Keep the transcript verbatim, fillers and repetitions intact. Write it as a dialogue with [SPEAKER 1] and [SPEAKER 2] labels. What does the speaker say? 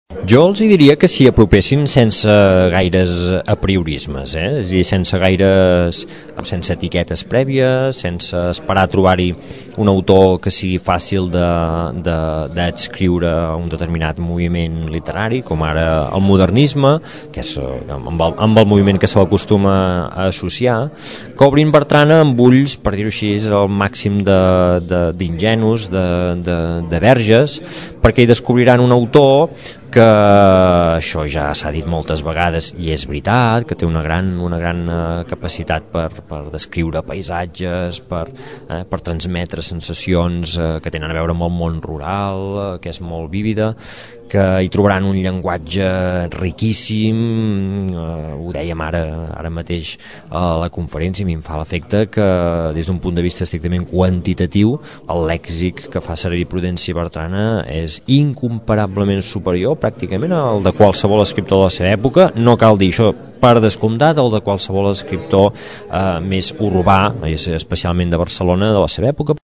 [SPEAKER 1] Jo els hi diria que s'hi apropessin sense gaires apriorismes, eh? És a dir, sense gaires, sense etiquetes prèvies, sense esperar a trobar-hi un autor que sigui fàcil d'adscriure a un determinat moviment literari, com ara el modernisme, que és amb el, amb el moviment que se l'acostuma a associar, que obrin Bertrana amb ulls, per dir-ho així, el màxim d'ingenus, de, de, de, de verges, perquè hi descobriran un autor que això ja s'ha dit moltes vegades i és veritat, que té una gran, una gran capacitat per, per descriure paisatges, per, eh, per transmetre sensacions eh, que tenen a veure amb el món rural, eh, que és molt vívida, que hi trobaran un llenguatge riquíssim, eh, ho dèiem ara, ara mateix a la conferència, i em fa l'efecte que des d'un punt de vista estrictament quantitatiu el lèxic que fa servir Prudenci Bertrana és incomparablement superior pràcticament al de qualsevol escriptor de la seva època. No cal dir això per descomptat, el de qualsevol escriptor eh, més urbà, especialment de Barcelona, de la seva època.